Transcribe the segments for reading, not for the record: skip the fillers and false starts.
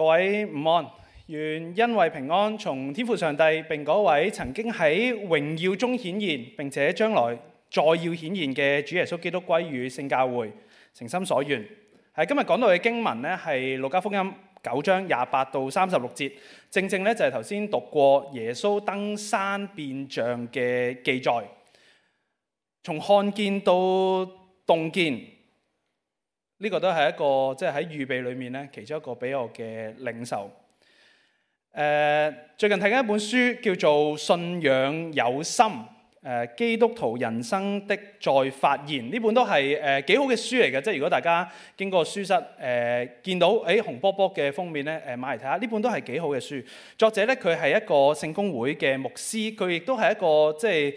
各位午安，願恩惠平安從天父上帝並嗰位曾經喺榮耀中顯現並且將來再要顯現嘅主耶穌基督歸與聖教會，誠心所願。喺今日講到嘅經文呢，係路加福音9章28到36節，正正咧就係頭先讀過耶穌登山變像嘅記載，從看見到洞見。呢個都係一個即係喺預備裏面咧，其中一個俾我嘅領受。最近睇緊一本書叫做《信仰有心》，基督徒人生的再發現。呢本都係幾好嘅書嚟嘅，即係如果大家經過書室見到紅波波嘅封面咧，買嚟睇下。呢本都係幾好嘅書。作者咧佢係一個聖公會嘅牧師，佢亦都係一個即係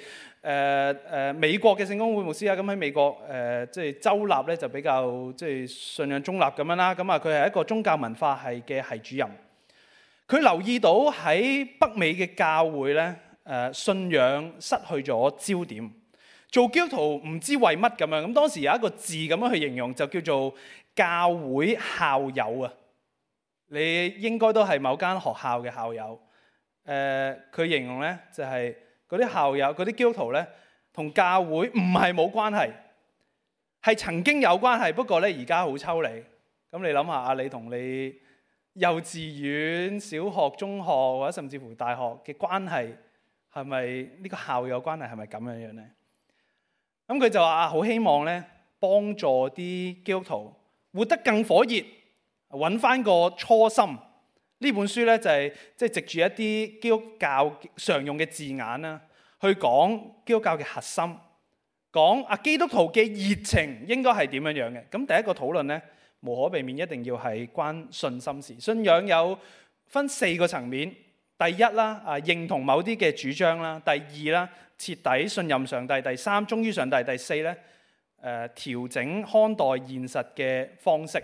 美國嘅聖公會牧師啊。咁喺美國即係州立咧就比較即係信仰中立咁樣啦。咁啊佢係一個宗教文化系嘅系主任。佢留意到喺北美嘅教會咧，信仰失去咗焦點，做基督徒唔知為乜咁樣。咁當時有一個字咁樣去形容，就叫做教會校友啊。你應該都係某間學校嘅校友。佢形容咧就係嗰啲校友、嗰啲基督徒咧，同教會唔係冇關係，係曾經有關係，不過咧而家好抽離。咁你諗下啊，你同你幼稚園、小學、中學或者甚至乎大學嘅關係，係咪呢個校友關係係咪咁樣樣咧？咁佢就話好希望咧幫助啲基督徒活得更火熱，揾翻個初心。呢本書咧就係即係藉住一啲基督教常用嘅字眼啦，去講基督教嘅核心，講基督徒嘅熱情應該係點樣樣嘅。咁第一個討論咧，無可避免一定要係關信心事。信仰有分4個層面。第一啦，認同某啲嘅主張啦；第二啦，徹底信任上帝；第3，忠於上帝；第4咧，調整看待現實嘅方式。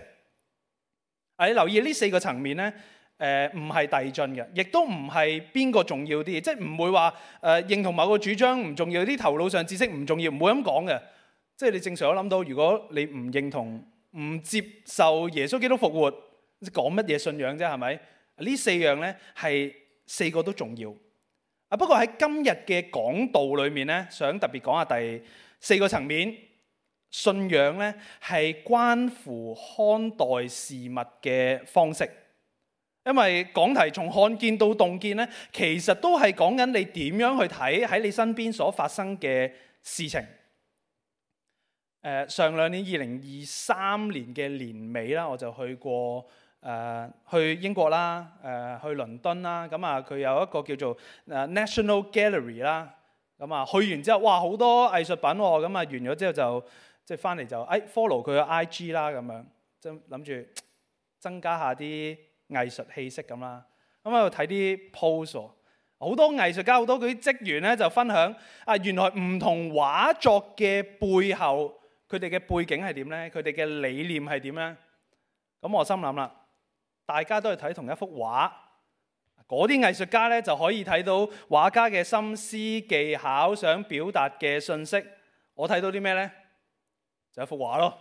你留意呢4個層面咧，唔係遞進嘅，亦都唔係邊個重要啲，即係唔會話認同某個主張唔重要，啲頭腦上知識唔重要，唔會咁講嘅。即係你正常都諗到，如果你唔認同、唔接受耶穌基督復活，講乜嘢信仰啫？係咪？呢4樣咧係4個都重要。不過喺今日嘅講道裏面咧，想特別講下第4個層面，信仰咧係關乎看待事物嘅方式。因為講題從看見到洞見咧，其實都係講緊你點樣去睇喺你身邊所發生嘅事情。上2年2023年嘅年尾啦，我就去過去英國啦，去倫敦啦。咁啊，佢有一個叫做National Gallery 啦。咁啊，去完之後，哇，好多藝術品喎。咁啊，完咗之後就即係翻嚟就follow 佢嘅 IG 啦，咁樣即係諗住增加下啲藝術氣息咁啦。咁喺度睇啲 post，好多藝術家、好多嗰啲職員咧就分享原來唔同畫作嘅背後，佢哋嘅背景係點咧？佢哋嘅理念係點咧？咁我心諗啦，大家都係睇同一幅畫，嗰啲藝術家咧就可以睇到畫家嘅心思技巧，想表達嘅信息。我睇到啲咩咧？就一幅畫咯。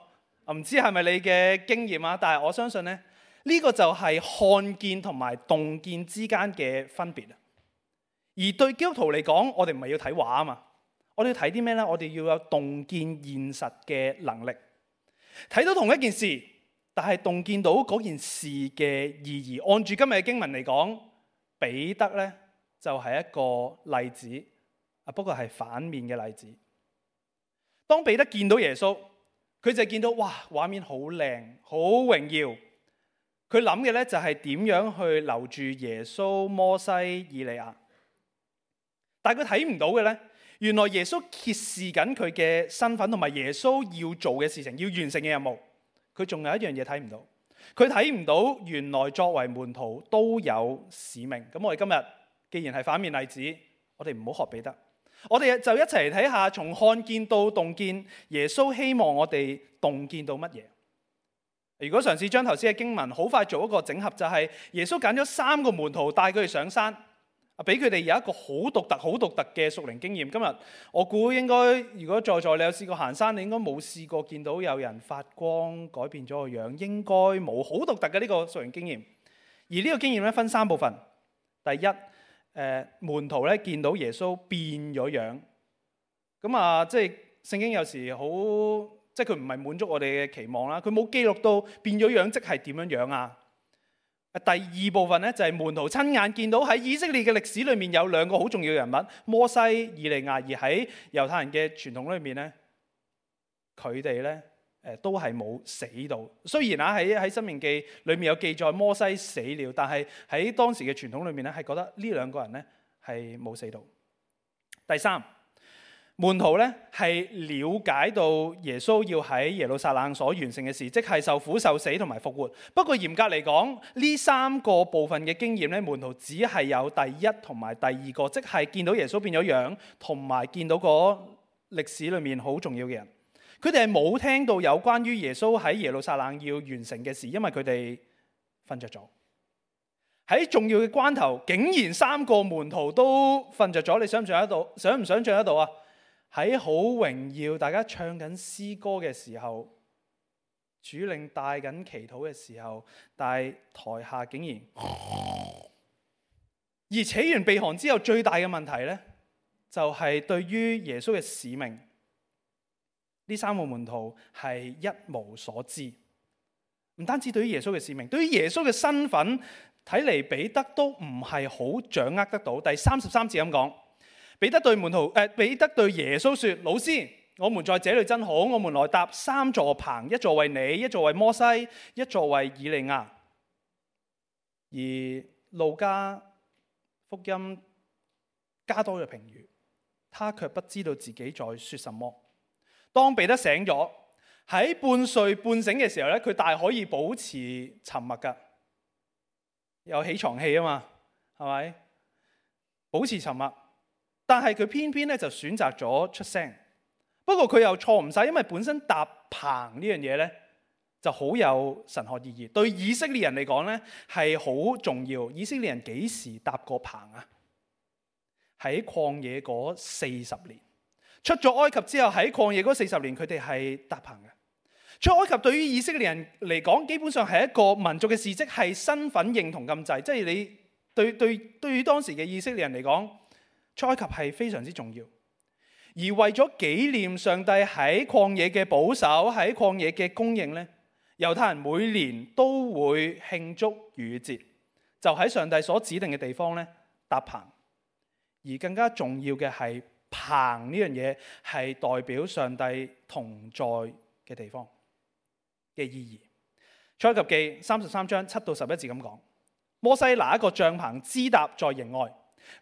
唔知係咪你嘅經驗啊？但係我相信咧，呢個就係看見同埋洞見之間嘅分別啊。而對基督徒嚟講，我哋唔係要睇畫啊嘛，我哋要睇啲咩咧？我哋要有洞見現實嘅能力，睇到同一件事，但係洞見到嗰件事嘅意義。按住今日嘅經文嚟講，彼得咧就係一個例子，不過係反面嘅例子。當彼得見到耶穌，佢就見到哇，畫面好靚，好榮耀。佢諗嘅咧就係點樣去留住耶穌、摩西、以利亞。但係佢睇唔到嘅咧，原來耶穌揭示緊佢嘅身份同埋耶穌要做嘅事情，要完成嘅任務。佢仲有一樣嘢睇唔到，佢睇唔到原來作為門徒都有使命。咁我哋今日既然係反面例子，我哋唔好學彼得，我哋就一齊嚟睇下從看見到洞見，耶穌希望我哋洞見到乜嘢。如果嘗試將頭先嘅經文好快做一個整合，就係耶穌揀咗3個門徒帶佢哋上山，俾佢哋有一個好獨特嘅屬靈經驗。今日我估應該，如果在座你有試過行山，你應該冇試過見到有人發光改變咗個樣，應該冇好獨特嘅呢個屬靈經驗。而呢個經驗咧分三部分。第一，門徒咧見到耶穌變咗樣。咁啊，即係聖經有時好，即係佢唔係滿足我哋嘅期望啦。佢冇記錄到變咗樣即係點樣樣啊。第二部分咧就係門徒親眼見到喺以色列嘅歷史裏面有兩個好重要嘅人物，摩西、以利亞。而喺猶太人嘅傳統裏面咧，佢哋咧都係冇死到。雖然啊喺申命記裏面有記載摩西死了，但係喺當時嘅傳統裏面咧係覺得呢兩個人咧係冇死到。第三，門徒咧係了解到耶穌要喺耶路撒冷所完成嘅事，即係受苦受死同埋復活。不過嚴格嚟講，呢三個部分嘅經驗咧，門徒只係有第一同埋第二個，即係見到耶穌變咗樣，同埋見到個歷史裏面好重要嘅人。佢哋係冇聽到有關於耶穌喺耶路撒冷要完成嘅事，因為佢哋瞓着咗。喺重要嘅關頭，竟然三個門徒都瞓着咗，你想唔想象得到啊？喺好榮耀，大家唱緊詩歌嘅時候，主領帶緊祈禱嘅時候，但係台下竟然，而扯完鼻鼾之後，最大嘅問題呢，就係對於耶穌嘅使命，呢三個門徒係一無所知。唔單止對於耶穌嘅使命，對於耶穌嘅身份，睇嚟彼得都唔係好掌握得到。第33節咁講。彼得對耶穌說：老師，我們在這裏真好，我們來搭三座棚，一座為你，一座為摩西，一座為以利亞。而路加福音加多嘅評語，他卻不知道自己在說什麼。當彼得醒咗，喺半睡半醒嘅時候咧，佢大可以保持沉默噶，有起床氣啊嘛，係咪？保持沉默。但係佢偏偏咧就選擇咗出聲，不過佢又錯唔晒，因為本身搭棚呢樣嘢咧就好有神學意義，對以色列人嚟講咧係好重要。以色列人幾時搭過棚啊？喺曠野嗰40年，出咗埃及之後喺曠野嗰40年，佢哋係搭棚嘅。出埃及對於以色列人嚟講，基本上係一個民族嘅事蹟，係身份認同咁滯，即係你對於當時嘅以色列人嚟講。出埃及係非常之重要，而為咗紀念上帝喺曠野嘅保守，喺曠野嘅供應呢，猶太人每年都會慶祝逾越節，就喺上帝所指定嘅地方呢搭棚。而更加重要嘅係棚呢樣嘢係代表上帝同在嘅地方嘅意義。出埃及記33章7到11節咁講：摩西拿一個帳棚支搭在營外。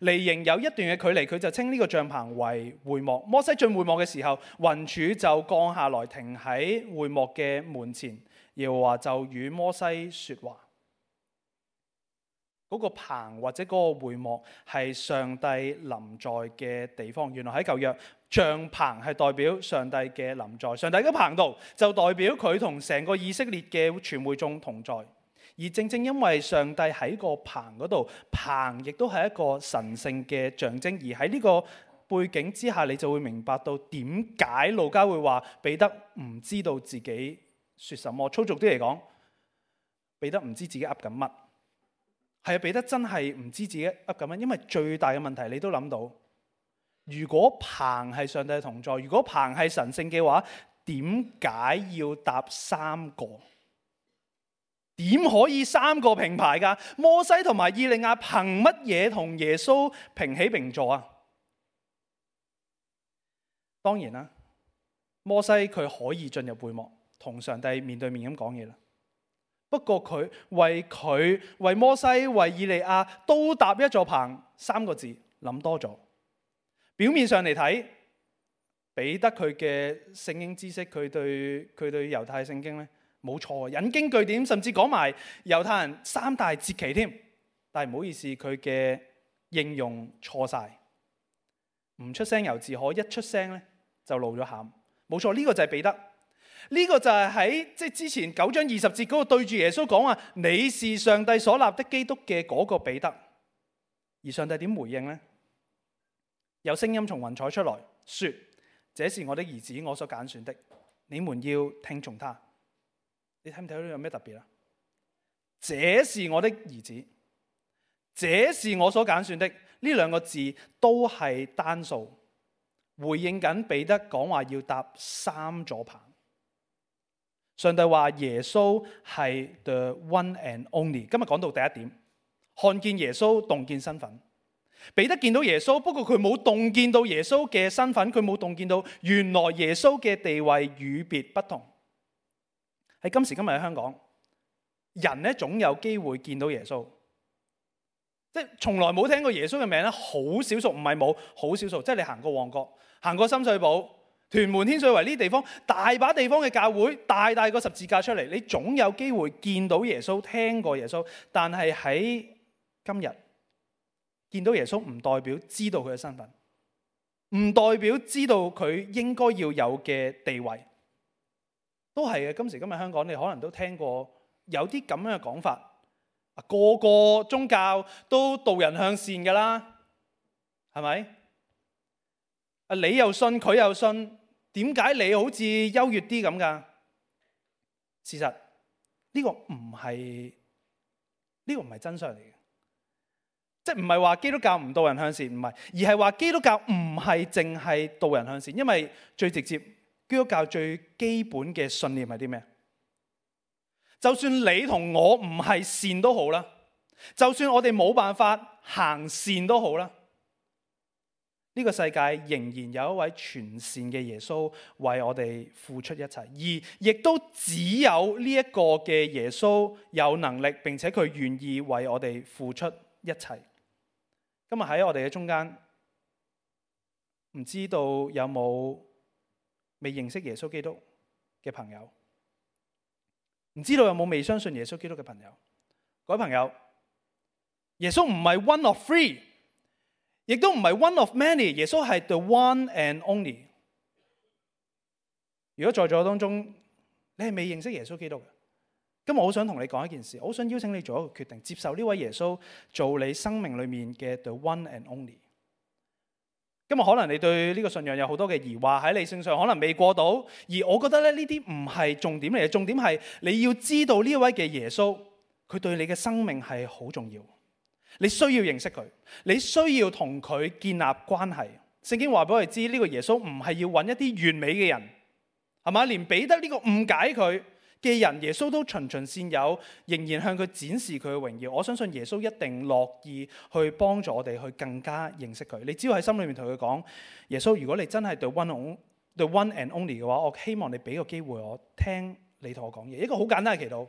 離營有一段嘅距離，佢就稱呢個帳棚為會幕。摩西進會幕嘅時候，雲柱就降下來停喺會幕嘅門前，耶和華就與摩西說話。嗰個棚或者嗰個會幕係上帝臨在嘅地方。原來喺舊約，帳棚係代表上帝嘅臨在，上帝嘅棚度就代表佢同成個以色列嘅全會眾同在。而正正因為上帝喺個棚嗰度，棚亦都係一個神聖嘅象徵。而喺呢個背景之下，你就會明白到點解路加會話彼得唔知道自己說什麼。粗俗啲嚟講，彼得唔知自己噏緊乜。係啊，彼得真係唔知自己噏緊乜，因為最大嘅問題你都諗到，如果棚係上帝同在，如果棚係神聖嘅話，點解要搭三個？點可以三個平排㗎？摩西同埋以利亞憑乜嘢同耶穌平起平坐啊？當然啦，摩西佢可以進入會幕同上帝面對面咁講嘢啦。不過佢為摩西、為以利亞都搭一座棚，三個字諗多咗。表面上嚟睇，彼得佢嘅聖經知識，佢對猶太聖經咧冇錯，引經據典，甚至講埋猶太人三大節期添。但係唔好意思，佢嘅應用錯晒，唔出聲猶自可，一出聲咧就露咗餡。冇錯，呢個就係彼得。呢個就係喺之前9章20節嗰個對住耶穌講話，你是上帝所立的基督嘅嗰個彼得。而上帝點回應呢？有聲音從雲彩出來，說：這是我的兒子，我所揀選的，你們要聽從他。你睇唔睇到有咩特別啊？這是我的兒子，這是我所揀選的。呢兩個字都係單數，回應緊彼得講話要搭3座棚。上帝話耶穌係 the one and only。今日講到第一點，看見耶穌，洞見身份。彼得見到耶穌，不過佢冇洞見到耶穌嘅身份，佢冇洞見到原來耶穌嘅地位與別不同。喺今時今日喺香港，人咧總有機會見到耶穌，即係從來冇聽過耶穌嘅名咧，好少數，唔係冇，好少數。即係你行過旺角，行過深水埗、屯門、天水圍呢啲地方，大把地方嘅教會，大個十字架出嚟，你總有機會見到耶穌，聽過耶穌。但係喺今日見到耶穌，唔代表知道佢嘅身份，唔代表知道佢應該要有嘅地位，都係嘅。今時今日香港，你可能都聽過有啲咁樣嘅講法，個個宗教都導人向善㗎啦，係咪？你又信，佢又信，點解你好似優越啲咁㗎？事實呢個唔係真相嚟嘅。即係唔係話基督教唔導人向善，唔係，而係話基督教唔係淨係導人向善。因為最直接，基督教最基本嘅信念係啲咩？就算你同我唔係善都好啦，就算我哋冇辦法行善都好啦，呢個世界仍然有一位全善嘅耶穌為我哋付出一切，而亦都只有呢一個嘅耶穌有能力，並且佢願意為我哋付出一切。今日喺我哋嘅中間，唔知道有冇未認識耶穌基督嘅朋友？唔知道有冇未相信耶穌基督嘅朋友？各位朋友，耶穌唔係 one of three， 亦都唔係 one of many， 耶穌係 the one and only。如果在座當中你係未認識耶穌基督嘅，今日我好想同你講一件事，我好想邀請你做一個決定，接受呢位耶穌做你生命裏面嘅 the one and only。今日可能你對呢個信仰有好多嘅疑惑，喺理性上可能未過到，而我覺得咧呢啲唔係重點嚟嘅，重點係你要知道呢位嘅耶穌，佢對你嘅生命係好重要，你需要認識佢，你需要同佢建立關係。聖經話俾我哋知，呢個耶穌唔係要揾一啲完美嘅人，係嘛？連彼得呢個誤解佢嘅人，耶穌都循循善誘，仍然向佢展示佢嘅榮耀。我相信耶穌一定樂意去幫助我哋去更加認識佢。你只要喺心裏面同佢講，耶穌，如果你真係 the one and only 嘅話，我希望你俾個機會我聽你同我講嘢。一個好簡單嘅祈禱。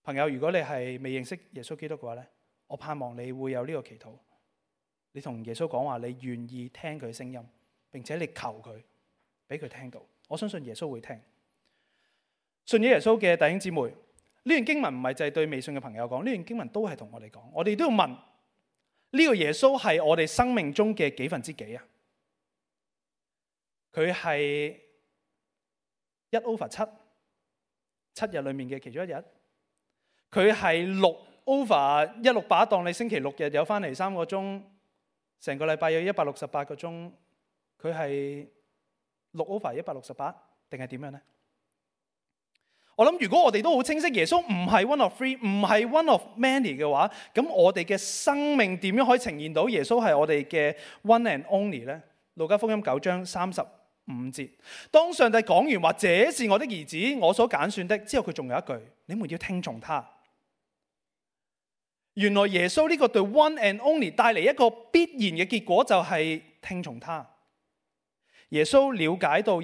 朋友，如果你係未認識耶穌基督嘅話咧，我盼望你會有呢個祈禱。你同耶穌講話，你願意聽佢聲音，並且你求佢俾佢聽到。我相信耶穌會聽。信咗耶穌嘅弟兄姊妹，呢段經文唔係就係對未信嘅朋友講，呢段經文都係同我哋講。我哋都要問，呢個耶穌係我哋生命中嘅幾分之幾啊？佢係1/7， 7日裏面嘅其中一日。佢係6/168，當你星期六日有翻嚟3個鐘，成個禮拜有168個鐘，佢係6/168定係點樣呢？我諗如果我哋都好清晰耶穌唔係 one of three， 唔係 one of many 嘅話，咁我哋嘅生命點樣可以呈現到耶穌係我哋嘅 one and only 呢？路加福音9章35節，當上帝講完話這是我的兒子，我所揀選的之後，佢仲有一句，你們要聽從他。原來耶穌呢個對 one and only 帶嚟一個必然嘅結果，就係聽從他。耶穌了解到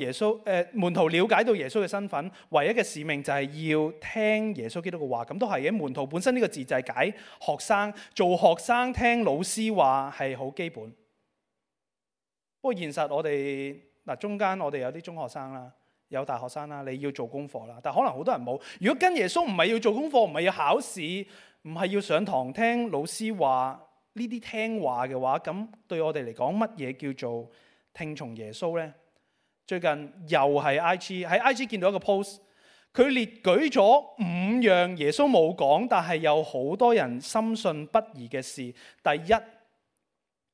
門徒了解到耶穌嘅身份，唯一嘅使命就係要聽耶穌基督嘅話。咁都係嘅，門徒本身呢個字就係解學生，做學生聽老師話係好基本。不過現實我哋中間我哋有啲中學生啦，有大學生啦，你要做功課啦，但可能好多人冇。如果跟耶穌唔係要做功課，唔係要考試，唔係要上堂聽老師話呢啲聽話嘅話，咁對我哋嚟講，乜嘢叫做聽從耶穌呢？最近又係 IG 喺 IG 見到一個 post， 佢列舉咗5樣耶穌冇講，但係有好多人深信不疑嘅事。第一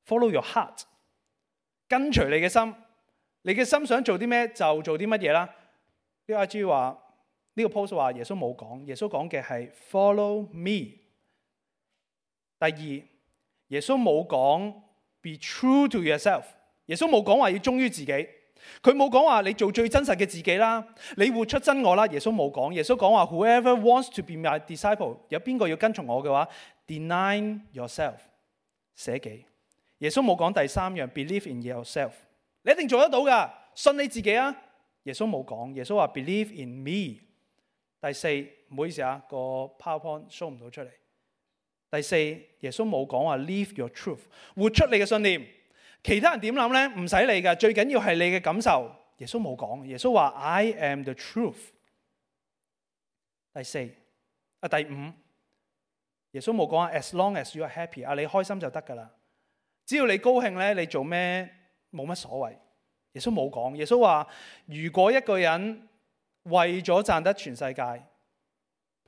，follow your heart， 跟隨你嘅心，你嘅心想做啲咩就做啲乜嘢啦。呢個 IG 話呢個 post 話耶穌冇講，耶穌講嘅係 follow me。第二，耶穌冇講 be true to yourself， 耶穌冇講話要忠於自己，佢冇講話你做最真實嘅自己啦，你活出真我啦，耶穌冇講。耶穌講話 whoever wants to be my disciple， 有邊個要跟從我嘅話 deny yourself， 捨己。耶穌冇講第三樣 believe in yourself， 你一定做得到噶，信你自己啊。耶穌冇講，耶穌話 believe in me。第四，唔好意思啊，個 PowerPoint show 唔到出嚟。第四，耶穌冇講話 live your truth， 活出你嘅信念。其他人點諗呢？唔使理噶，最緊要係你嘅感受。耶穌冇講，耶穌話 I am the truth。第五，耶穌冇講話 as long as you are happy， 你開心就得噶啦，只要你高興咧，你做咩冇乜所謂。耶穌冇講，耶穌話如果一個人為咗賺得全世界，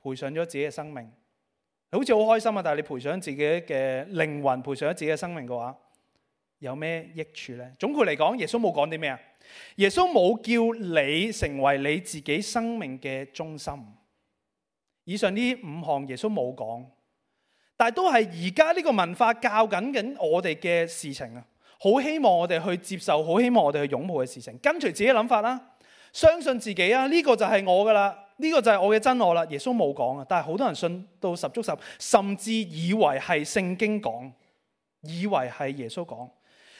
賠上咗自己嘅生命，好似好開心啊！但係你賠上自己嘅靈魂，賠上咗自己嘅生命嘅話，有咩益處呢？總括嚟講，耶穌冇講啲咩啊？耶穌冇叫你成為你自己生命嘅中心。以上呢5項耶穌冇講，但係都係而家呢個文化教緊我哋嘅事情啊！好希望我哋去接受，好希望我哋去擁抱嘅事情，跟隨自己諗法啦，相信自己啊！呢個就係我噶啦。呢個就係我嘅真我啦。耶穌冇講啊，但係好多人信到十足十，甚至以為係聖經講，以為係耶穌講。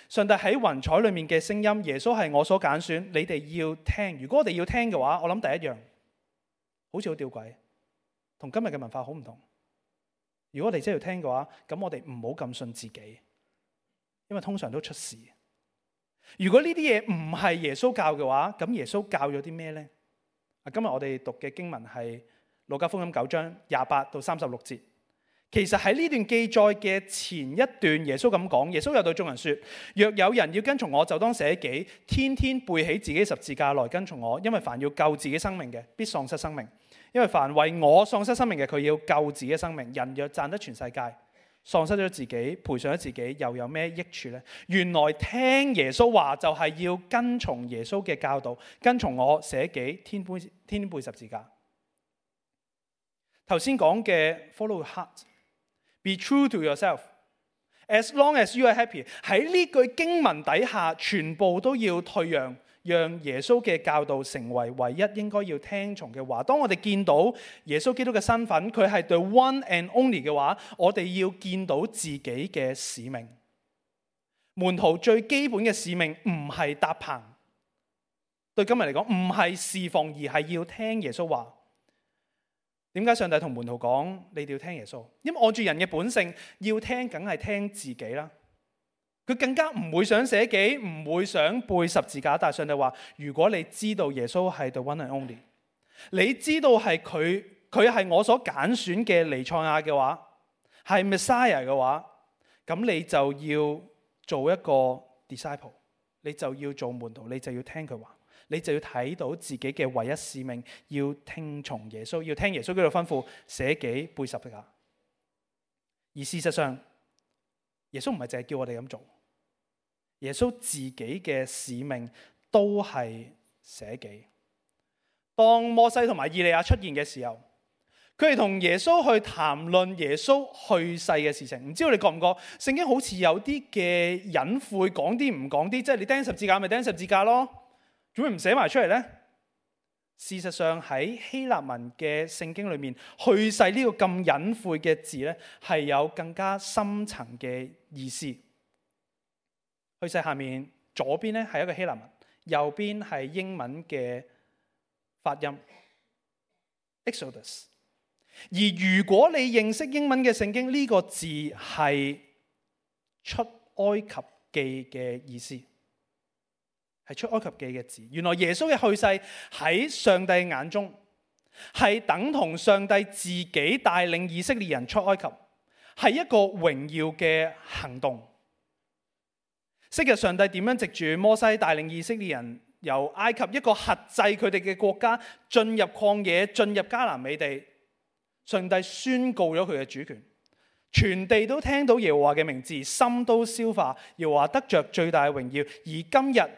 上帝喺雲彩裏面嘅聲音，耶穌係我所揀選，你哋要聽。如果我哋要聽嘅話，我諗第一樣好似好吊詭，同今日嘅文化好唔同。如果我哋真係要聽嘅話，咁我哋唔好咁信自己，因為通常都出事。如果呢啲嘢唔係耶穌教嘅話，咁耶穌教咗啲咩呢？今日我哋讀嘅經文係路加福音9章28到36節。其實喺呢段記載嘅前一段，耶穌咁講，耶穌又對眾人說：若有人要跟從我，就當捨己，天天背起自己十字架來跟從我。因為凡要救自己生命嘅，必喪失生命；因為凡為我喪失生命嘅，佢要救自己生命。人若賺得全世界，喪失咗自己，賠上咗自己，又有咩益處呢？原來聽耶穌話就係要跟從耶穌嘅教導，跟從我捨己，天天背十字架。頭先講嘅 follow your heart，be true to yourself，as long as you are happy， 喺呢句經文底下，全部都要退讓，讓耶穌嘅教導成為唯一應該要聽從嘅話。當我哋見到耶穌基督嘅身份，佢係 the one and only 嘅話，我哋要見到自己嘅使命。門徒最基本嘅使命唔係搭棚，對今日嚟講唔係侍奉，而係要聽耶穌話。點解上帝同門徒講你哋要聽耶穌？因為按住人嘅本性，要聽梗係聽自己啦。佢更加唔會想捨己，唔會想背十字架。但係上帝話：如果你知道耶穌係 the one and only， 你知道係佢係我所揀選嘅彌賽亞嘅話，係 Messiah 嘅話，咁你就要做一個 disciple， 你就要做門徒，你就要聽佢話，你就要睇到自己嘅唯一使命，要聽從耶穌，要聽耶穌嗰度吩咐，捨己背十字架。而事實上，耶穌唔係淨係叫我哋咁做，耶穌自己嘅使命都係捨己。當摩西同埋以利亞出現嘅時候，佢哋同耶穌去談論耶穌去世嘅事情。唔知道你覺唔覺聖經好似有啲嘅隱晦，講啲唔講啲，即係你釘十字架咪釘十字架咯，做咩唔寫埋出嚟呢？事實上喺希臘文嘅聖經裏面，去世呢個咁隱晦嘅字呢，係有更加深層嘅意思。去世下面左邊呢係一個希臘文，右邊係英文嘅發音 Exodus。而如果你認識英文嘅聖經，呢個字係出埃及記嘅意思。係出埃及記嘅字。原來耶穌嘅去世喺上帝眼中係等同上帝自己帶領以色列人出埃及，係一個榮耀嘅行動。昔日上帝點樣藉住摩西帶領以色列人由埃及一個轄制佢哋嘅國家進入曠野，進入迦南美地，上帝宣告咗佢嘅主權，全地都聽到耶和華嘅名字，心都消化，耶和華得着最大嘅榮耀。而今日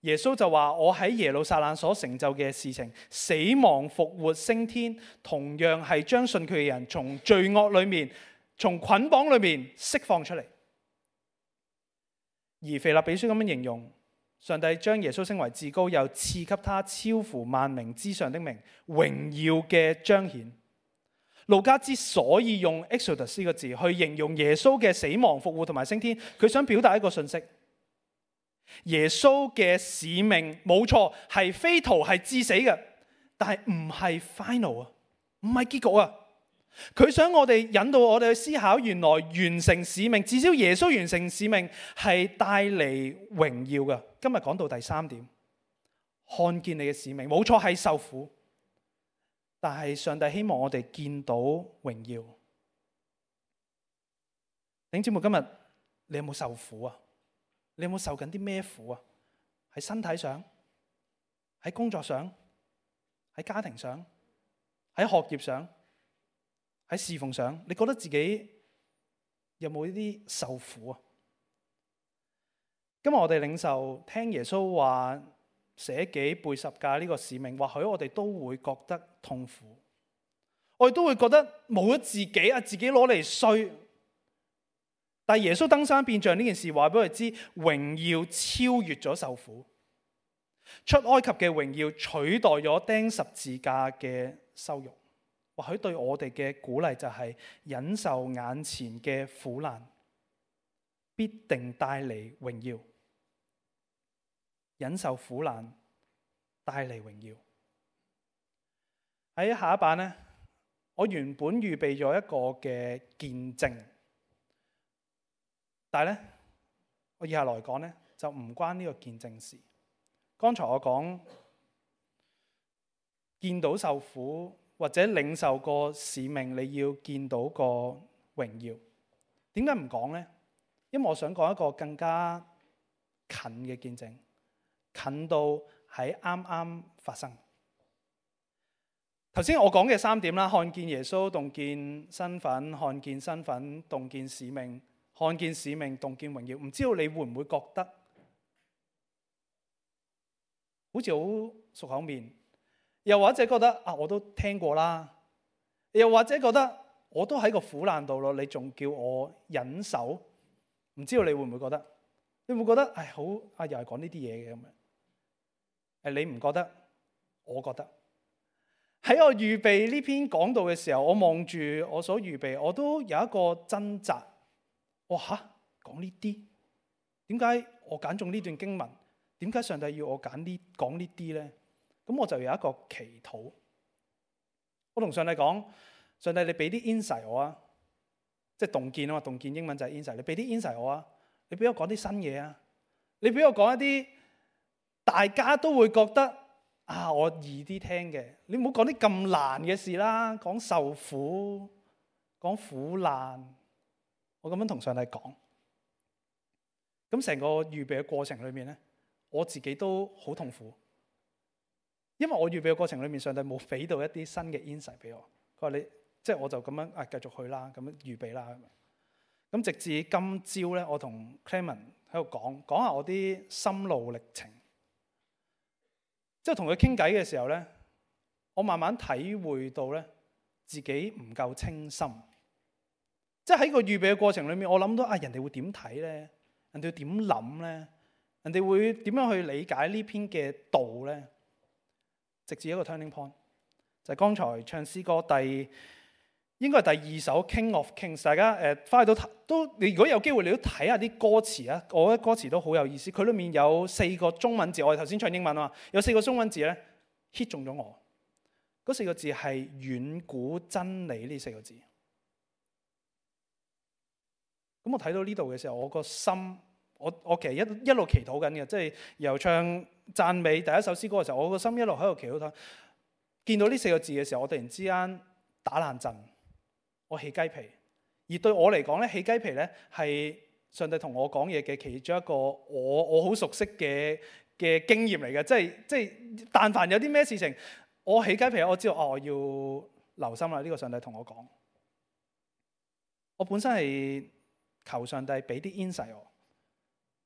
耶穌就話：我喺耶路撒冷所成就嘅事情，死亡復活升天，同樣係將信佢嘅人從罪惡裏面、從捆綁裏面釋放出嚟。而腓立比書咁樣形容，上帝將耶穌升為至高，又賜給他超乎萬名之上的名，榮耀嘅彰顯。路加之所以用 Exodus 呢個字去形容耶穌嘅死亡復活同埋升天，佢想表達一個信息：耶穌嘅使命冇錯係非途係致死嘅，但係唔係 final 啊，唔係結局啊。佢想我哋引導我哋去思考，原來完成使命，至少耶穌完成使命係帶嚟榮耀嘅。今日講到第三點，看見你嘅使命冇錯係受苦，但係上帝希望我哋見到榮耀。弟兄姊妹，今日你有冇受苦啊？你有冇受緊啲咩苦啊？喺身體上，喺工作上，喺家庭上，喺學業上，喺侍奉上，你覺得自己有冇呢啲受苦啊？今日我哋領受聽耶穌話捨己背十架呢個使命，或許我哋都會覺得痛苦，我哋都會覺得冇咗自己啊，自己攞嚟衰。但係耶穌登山變像呢件事話俾我哋知，榮耀超越咗受苦，出埃及嘅榮耀取代咗釘十字架嘅羞辱。或許對我哋嘅鼓勵就係忍受眼前嘅苦難，必定帶嚟榮耀。忍受苦難帶嚟榮耀。喺下一版呢，我原本預備咗一個嘅見證，但係咧，我以下來講咧就唔關呢個見證事。剛才我講見到受苦或者領受個使命，你要見到個榮耀。點解唔講呢？因為我想講一個更加近嘅見證，近到喺啱啱發生。頭先我講嘅三點啦，看見耶穌，洞見身份；看見身份，洞見使命；看見使命，洞見榮耀。唔知道你會唔會覺得好似好熟口面？又或者覺得啊，我都聽過啦。又或者覺得我都喺個苦難度咯，你仲叫我忍受？唔知道你會唔會覺得？你會唔會覺得唉，好啊，又係講呢啲嘢嘅咁樣？你唔覺得？我覺得。喺我預備呢篇講道嘅時候，我望住我所預備，我都有一個掙扎。哇嚇，講呢啲？點解我揀中呢段經文？點解上帝要我講呢啲咧？咁我就有一個祈禱。我同上帝講：上帝，你俾啲 insight 我啊，即係洞見啊嘛，洞見英文就係 insight。你俾啲 insight 我啊，你俾我講啲新嘢啊，你俾我講一啲大家都會覺得啊，我易啲聽嘅。你唔好講啲咁難嘅事啦，講受苦，講苦難。我咁樣同上帝講。咁成個預備嘅過程裏面咧，我自己都好痛苦。因為我預備嘅過程裏面，上帝冇俾到一啲新嘅 insight 俾我。佢話你即係我就咁樣繼續去啦，咁樣預備啦。咁直至今朝咧，我同 Clement 喺度講下我啲心路歷程。即係同佢傾偈嘅時候咧，我慢慢體會到咧自己唔夠清心。即係喺個預備嘅過程裏面，我諗到啊，人哋會點睇咧？人哋會點諗咧？人哋會點樣去理解呢篇嘅道咧？直至一個 turning point， 就係剛才唱詩歌應該係第二首 King of Kings。大家翻去你如果有機會，你都睇下啲歌詞啊。我覺得歌詞都好有意思。佢裏面有4個中文字，我哋頭先唱英文啊嘛，有4個中文字咧 hit 中咗我。嗰4個字係遠古真理呢4個字。咁我睇到呢度嘅時候，我個心，我其實一路祈禱緊嘅，即係由唱讚美第一首詩歌嘅時候，我個心一路喺度祈禱。見到呢4個字嘅時候，我突然之間打冷震，我起雞皮。而對我嚟講咧，起雞皮咧係上帝同我講嘢嘅其中一個我好熟悉嘅經驗嚟嘅。即係但凡有啲咩事情，我起雞皮，我知道我要留心啦。呢個上帝同我講，我本身係求上帝俾啲 insight 我。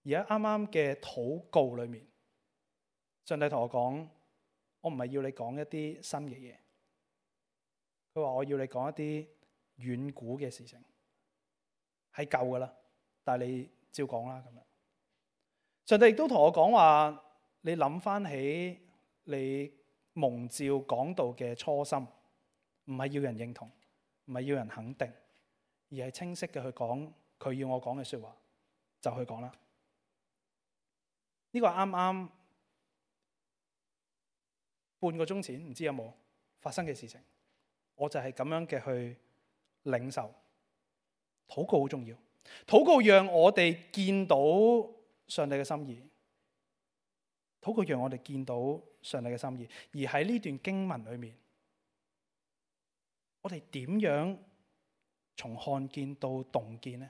而家啱啱嘅禱告裏面，上帝同我講，我唔係要你講一啲新嘅嘢，佢話我要你講一啲遠古嘅事情，係舊噶啦，但係你照講啦咁樣。上帝亦都同我講話，你諗翻起你蒙召講道嘅初心，唔係要人認同，唔係要人肯定，而係清晰嘅去講佢要我講嘅說話，就去講啦。呢個啱啱半個鐘前，唔知有冇發生嘅事情，我就係咁樣嘅去領受。禱告好重要，禱告讓我哋見到上帝嘅心意，禱告讓我哋見到上帝嘅心意。而喺呢段經文裏面，我哋點樣從看見到洞見呢？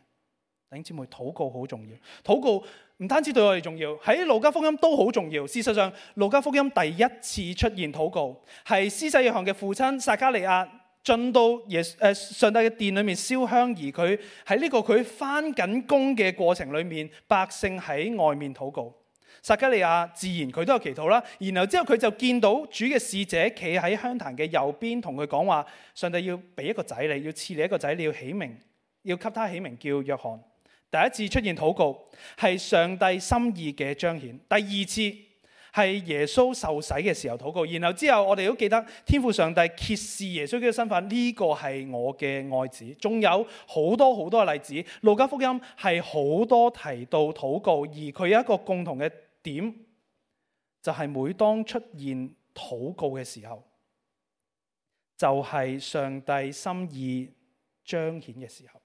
弟兄姊妹，禱告好重要。禱告唔單止對我哋重要，喺路加福音都好重要。事實上，路加福音第一次出現禱告，係施洗約翰嘅父親撒迦利亞進到上帝嘅殿裏面燒香，而佢喺呢個佢返緊工嘅過程裏面，百姓喺外面禱告。撒迦利亞自然佢都有祈禱啦，然後之後佢就見到主嘅使者企喺香壇嘅右邊，同佢講話：上帝要俾一個仔你，要賜你一個仔，你要起名，要給他起名叫約翰。第一次出現禱告係上帝心意嘅彰顯，第二次係耶穌受洗嘅時候禱告，然後之後我哋都記得天父上帝揭示耶穌嘅身份，呢個係我嘅愛子。仲有好多好多嘅例子，路加福音係好多提到禱告，而佢有一個共同嘅點，就係每當出現禱告嘅時候，就係上帝心意彰顯嘅時候。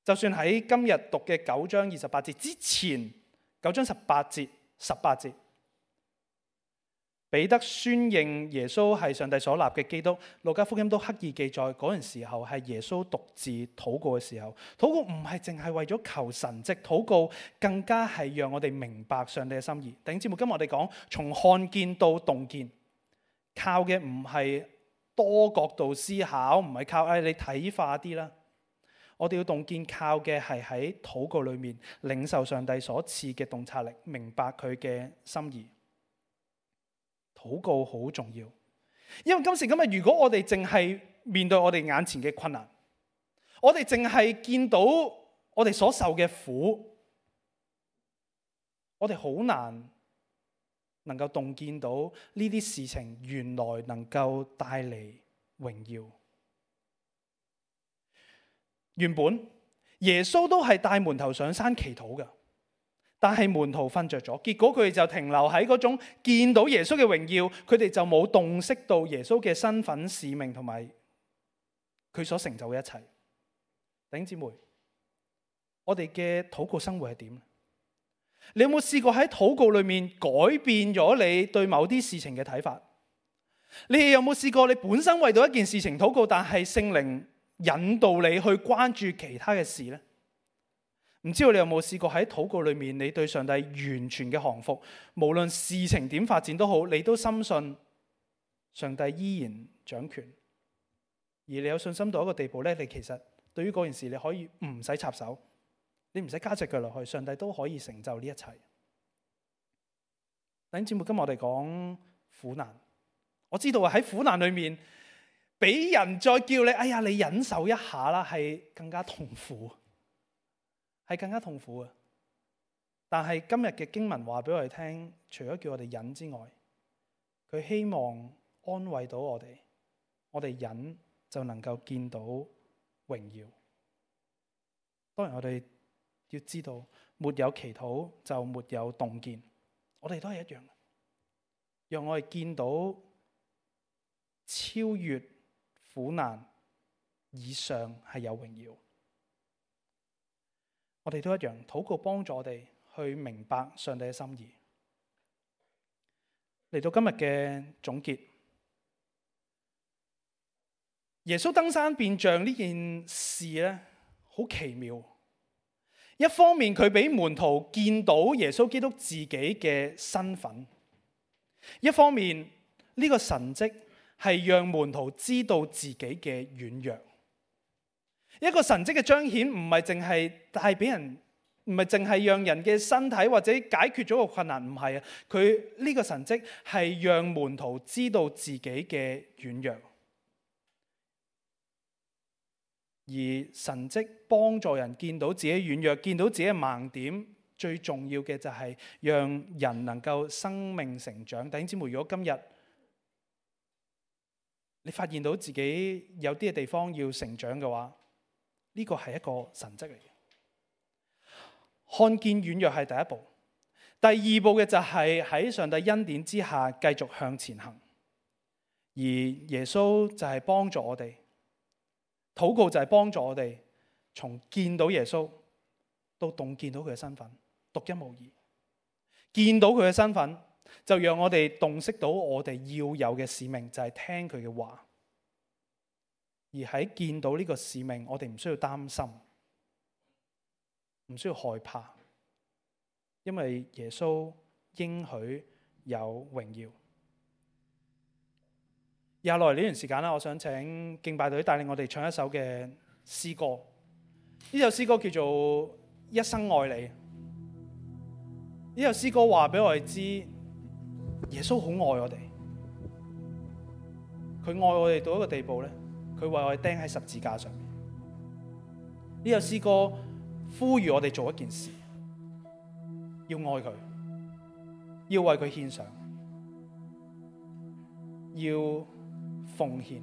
就算喺今日讀嘅9章28節之前，9章18節，彼得宣認耶穌係上帝所立嘅基督，路加福音都刻意記載嗰陣時候係耶穌獨自禱告嘅時候。禱告唔係淨係為咗求神蹟，禱告更加係讓我哋明白上帝嘅心意。弟兄姊妹，今日我哋講從看見到洞見，靠嘅唔係多角度思考，唔係靠你睇化啲啦。我哋要洞見，靠嘅係喺禱告裏面領受上帝所賜嘅洞察力，明白佢嘅心意。禱告好重要，因為今時今日，如果我哋淨係面對我哋眼前嘅困難，我哋淨係見到我哋所受嘅苦，我哋好難能夠洞見到呢啲事情原來能夠帶嚟榮耀。原本耶穌都係帶門徒上山祈禱嘅，但係門徒瞓着咗，結果佢哋就停留喺嗰種見到耶穌嘅榮耀，佢哋就冇洞悉到耶穌嘅身份使命同埋佢所成就嘅一切。弟兄姊妹，我哋嘅禱告生活係點？你有冇試過喺禱告裏面改變咗你對某啲事情嘅睇法？你有冇試過你本身為到一件事情禱告，但係聖靈引導你去關注其他嘅事呢？唔知道你有冇試過喺禱告裏面，你對上帝完全嘅降服，無論事情點發展都好，你都深信上帝依然掌權，而你有信心到一個地步呢，你其實對於嗰件事你可以唔使插手，你唔使加隻腳落去，上帝都可以成就呢一切。弟兄姊妹，今日我哋講苦難，我知道喺苦難裏面，俾人再叫你，哎呀，你忍受一下啦，係更加痛苦，係更加痛苦啊！但係今日嘅經文話俾我哋聽，除咗叫我哋忍之外，佢希望安慰到我哋忍就能夠見到榮耀。當然我哋要知道，沒有祈禱就沒有洞見，我哋都係一樣，讓我哋見到超越苦難以上係有榮耀。我哋都一樣，禱告幫助我哋去明白上帝嘅心意。嚟到今日嘅總結，耶穌登山變像呢件事咧，好奇妙。一方面佢俾門徒見到耶穌基督自己嘅身份，一方面呢個神蹟係讓門徒知道自己嘅軟弱。一個神蹟嘅彰顯唔係淨係帶俾人唔係淨係讓人嘅身體或者解決咗個困難，唔係啊。佢呢個神蹟係讓門徒知道自己嘅軟弱，而神蹟幫助人見到自己軟弱，見到自己嘅盲點。最重要嘅就係讓人能夠生命成長。弟兄姊妹，如果今日你發現到自己有啲嘅地方要成長嘅話，呢個係一個神蹟嚟嘅。看見軟弱係第一步，第二步嘅就係喺上帝恩典之下繼續向前行。而耶穌就係幫助我哋，禱告就係幫助我哋從見到耶穌到洞見到佢嘅身份，獨一無二。見到佢嘅身份，就讓我哋洞悉到我哋要有嘅使命，就係聽佢嘅話。而喺見到呢個使命，我哋唔需要擔心，唔需要害怕，因為耶穌應許有榮耀。以下落嚟呢段時間啦，我想請敬拜隊帶領我哋唱一首嘅詩歌。呢首詩歌叫做《一生愛你》。呢首詩歌話俾我哋知，耶穌好愛我哋，佢愛我哋到一個地步咧，佢為我哋釘喺十字架上面。呢首詩歌呼籲我哋做一件事，要愛佢，要為佢獻上，要奉獻，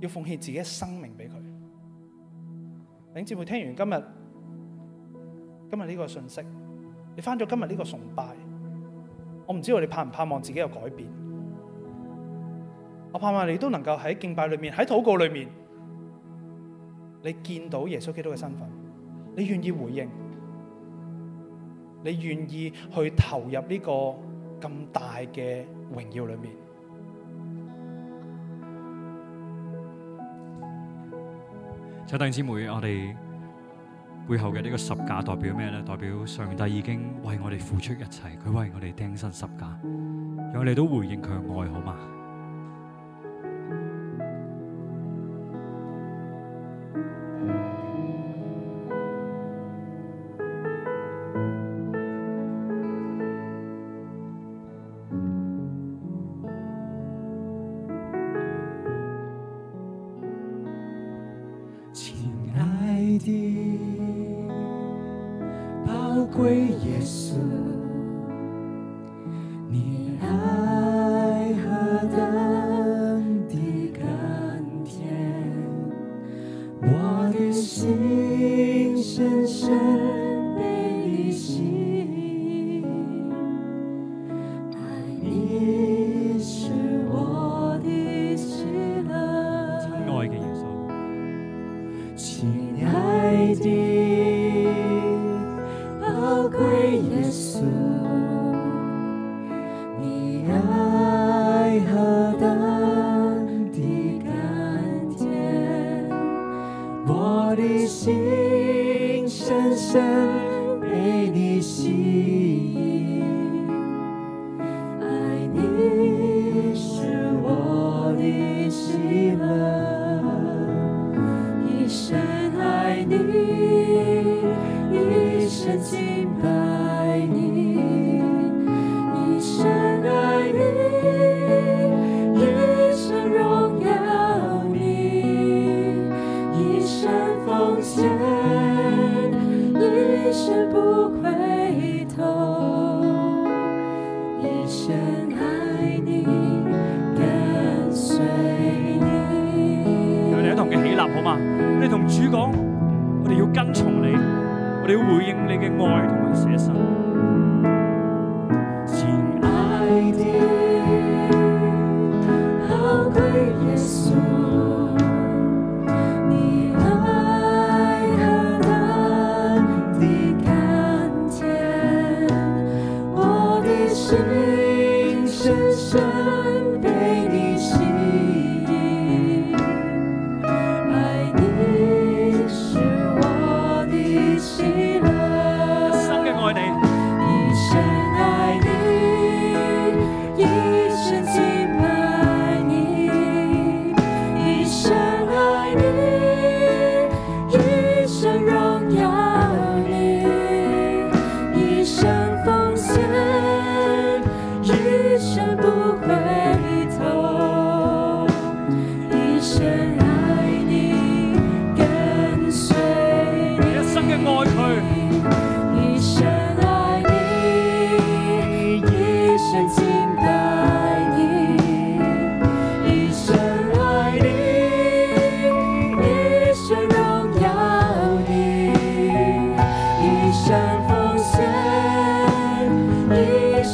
要奉獻自己嘅生命俾佢。弟兄姊妹，聽完今日呢個信息，你返咗今日呢個崇拜，我唔知道你盼唔盼望自己有改變。我盼望你都能夠喺敬拜裏面，喺禱告裏面，你見到耶穌基督嘅身份，你願意回應，你願意去投入呢個咁大嘅榮耀裏面。弟兄姊妹，我哋背後嘅呢個十架代表咩呢？代表上帝已經為我哋付出一切，佢為我哋釘身十架，讓我哋都回應佢嘅愛，好嗎？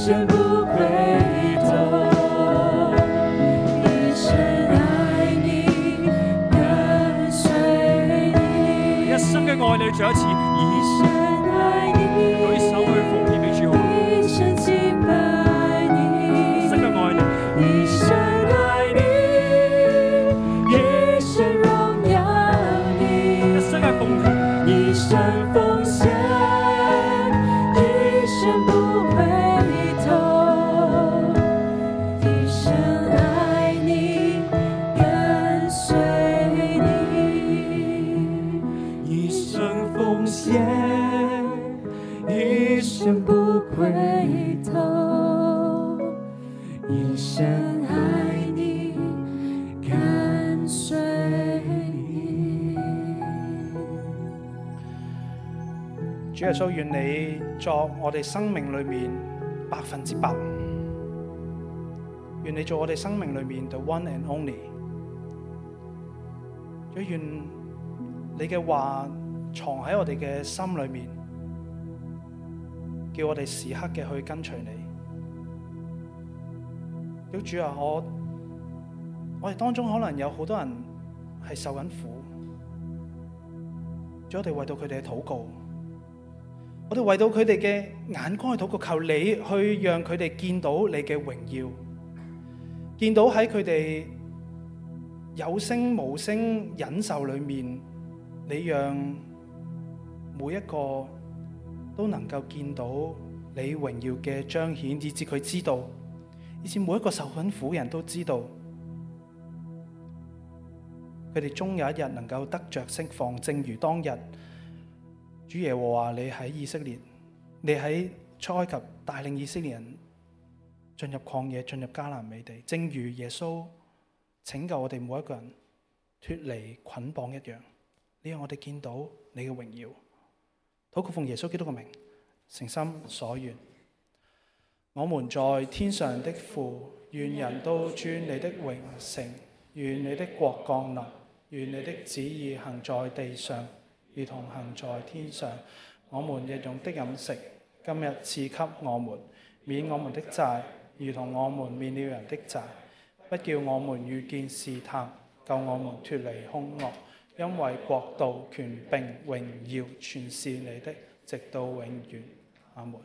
生不回頭，一生愛你，跟隨你，一生嘅愛你，再一次一生愛你，舉手去奉獻俾主好，一生敬拜你，一生嘅愛你，一生愛你，一生榮耀你，一生嘅奉獻，一生奉獻，一生不回頭，一生愛你，跟隨你，一生奉獻，一生不回頭，一生愛你，跟隨你。主耶穌，願你作我哋生命裏面100%，願你做我哋生命裏面 the one and only。主，願你嘅話藏喺我哋嘅心裏面，叫我哋時刻嘅去跟隨你。主啊，我哋當中可能有好多人係受緊苦，主，我哋為到佢哋嘅禱告，我哋為到佢哋嘅眼光去禱告，求你去讓佢哋見到你嘅榮耀，見到喺佢哋有聲無聲忍受裏面，你讓每一個都能夠見到你榮耀嘅彰顯，以致佢知道，以致每一個受緊苦嘅人都知道，佢哋終有一日能夠得着釋放，正如當日主耶和華你喺以色列，你喺出埃及帶領以色列人進入曠野，進入迦南美地，正如耶穌拯救我哋每一個人脫離捆綁一樣，你讓我哋見到你嘅榮耀。禱告奉耶穌基督嘅名，誠心所願。我們在天上的父，願人都尊你的榮成，願你的國降臨，願你的旨意行在地上，如同行在天上。我們日用的飲食，今日賜給我們，免我們的債，如同我們免了人的債，不叫我們遇見試探，救我們脫離兇惡。因為國度、權柄、榮耀，全是你的，直到永遠。阿門。